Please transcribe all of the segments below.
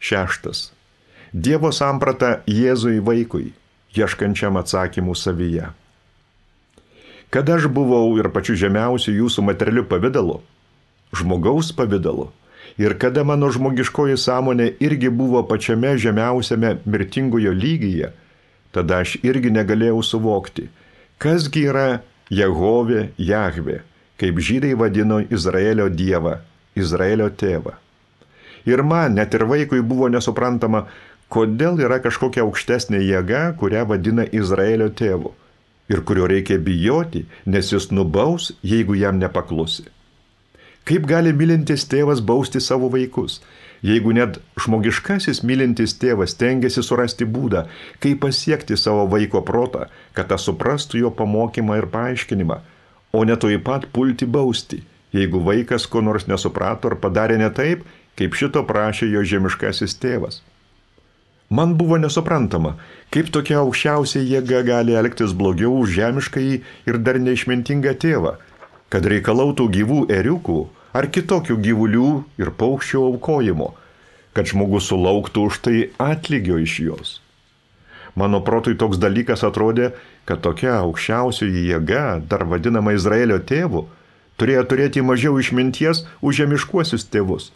6. Dievo samprata Jėzui vaikui, ieškančiam atsakymų savyje. Kad aš buvau ir pačiu žemiausiu jūsų materialiu pavidalu, žmogaus pavidalu, ir kada mano žmogiškoji sąmonė irgi buvo pačiame žemiausiame mirtingojo lygyje, tada aš irgi negalėjau suvokti, kasgi yra Jehovė Jahvė, kaip žydai vadino Izraelio dievą, Izraelio tėvą. Ir man, net ir vaikui, buvo nesuprantama, kodėl yra kažkokia aukštesnė jėga, kurią vadina Izraelio tėvu, ir kurio reikia bijoti, nes jis nubaus, jeigu jam nepaklusi. Kaip gali mylintis tėvas bausti savo vaikus, jeigu net žmogiškasis mylintis tėvas tengiasi surasti būdą, kaip pasiekti savo vaiko protą, kad tas suprastų jo pamokymą ir paaiškinimą, o ne tuoj pat pulti bausti, jeigu vaikas ko nors nesuprato ar padarė ne taip, kaip šito prašė jo žemiškasis tėvas. Man buvo nesuprantama, kaip tokia aukščiausia jėga gali elgtis blogiau už žemiškąjį ir dar neišmintingą tėvą, kad reikalautų gyvų ėriukų ar kitokių gyvulių ir paukščių aukojimo, kad žmogus sulauktų už tai atlygio iš jos. Mano protui toks dalykas atrodė, kad tokia aukščiausioji jėga, dar vadinama Izraelio tėvu, turėjo turėti mažiau išminties už žemiškuosius tėvus,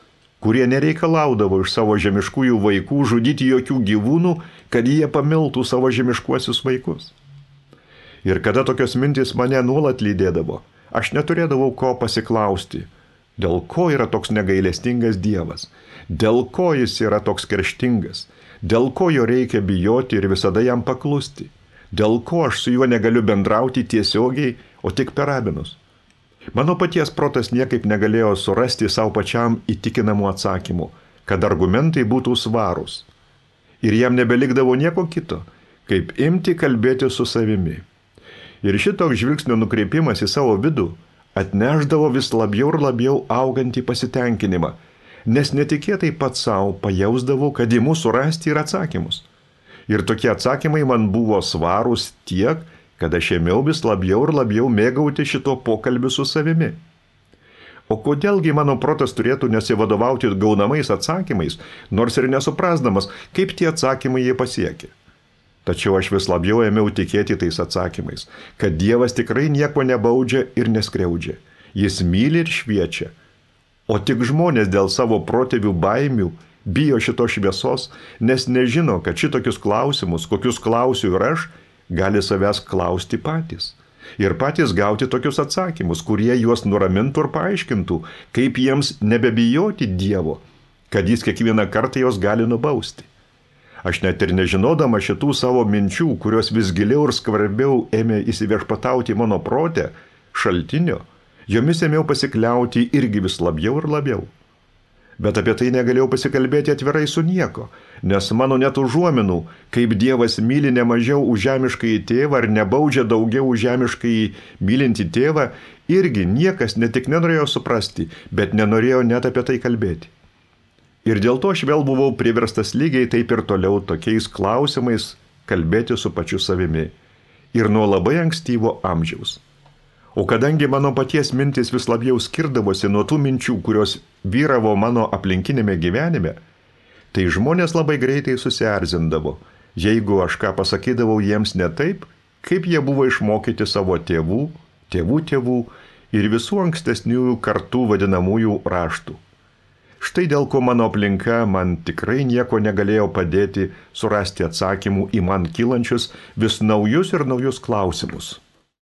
kurie nereikalaudavo iš savo žemiškųjų vaikų žudyti jokių gyvūnų, kad jie pamiltų savo žemiškuosius vaikus. Ir kada tokios mintys mane nuolat lydėdavo, aš neturėdavau ko pasiklausti, dėl ko yra toks negailestingas Dievas, dėl ko jis yra toks kerštingas, dėl ko jo reikia bijoti ir visada jam paklusti, dėl ko aš su juo negaliu bendrauti tiesiogiai, o tik per rabinus. Mano paties protas niekaip negalėjo surasti savo pačiam įtikinamų atsakymų, kad argumentai būtų svarūs. Ir jam nebelikdavo nieko kito, kaip imti kalbėti su savimi. Ir šitoks žvilgsnio nukreipimas į savo vidų atnešdavo vis labiau ir labiau augantį pasitenkinimą, nes netikėtai pats savo pajausdavau, kad imu surasti ir atsakymus. Ir tokie atsakymai man buvo svarūs tiek, kad aš ėmiau vis labiau ir labiau mėgauti šito pokalbiu su savimi. O kodėlgi mano protas turėtų nesivadovauti gaunamais atsakymais, nors ir nesuprasdamas, kaip tie atsakymai jie pasiekė. Tačiau aš vis labiau ėmiau tikėti tais atsakymais, kad Dievas tikrai nieko nebaudžia ir neskriaudžia. Jis myli ir šviečia. O tik žmonės dėl savo protėvių baimių bijo šitos šviesos, nes nežino, kad šitokius klausimus, kokius klausiu ir aš, gali savęs klausti patys. Ir patys gauti tokius atsakymus, kurie juos nuramintų ir paaiškintų, kaip jiems nebebijoti Dievo, kad jis kiekvieną kartą jos gali nubausti. Aš net ir nežinodama šitų savo minčių, kurios vis giliau ir skvarbiau ėmė įsiviešpatauti mano prote, šaltinio, jomis ėmiau pasikliauti irgi vis labiau ir labiau. Bet apie tai negalėjau pasikalbėti atvirai su nieko, nes mano net užuominų, kaip Dievas myli ne mažiau už žemiškąjį tėvą ar nebaudžia daugiau už žemiškąjį mylintį tėvą, irgi niekas ne tik nenorėjo suprasti, bet nenorėjo net apie tai kalbėti. Ir dėl to aš vėl buvau priverstas lygiai taip ir toliau tokiais klausimais kalbėti su pačiu savimi. Ir nuo labai ankstyvo amžiaus. O kadangi mano paties mintis vis labiau skirdavosi nuo tų minčių, kurios vyravo mano aplinkinėme gyvenime, tai žmonės labai greitai susierzindavo, jeigu aš ką pasakydavau jiems ne taip, kaip jie buvo išmokyti savo tėvų ir visų ankstesniųjų kartų vadinamųjų raštų. Štai dėl ko mano aplinka man tikrai nieko negalėjo padėti surasti atsakymų į man kylančius vis naujus ir naujus klausimus.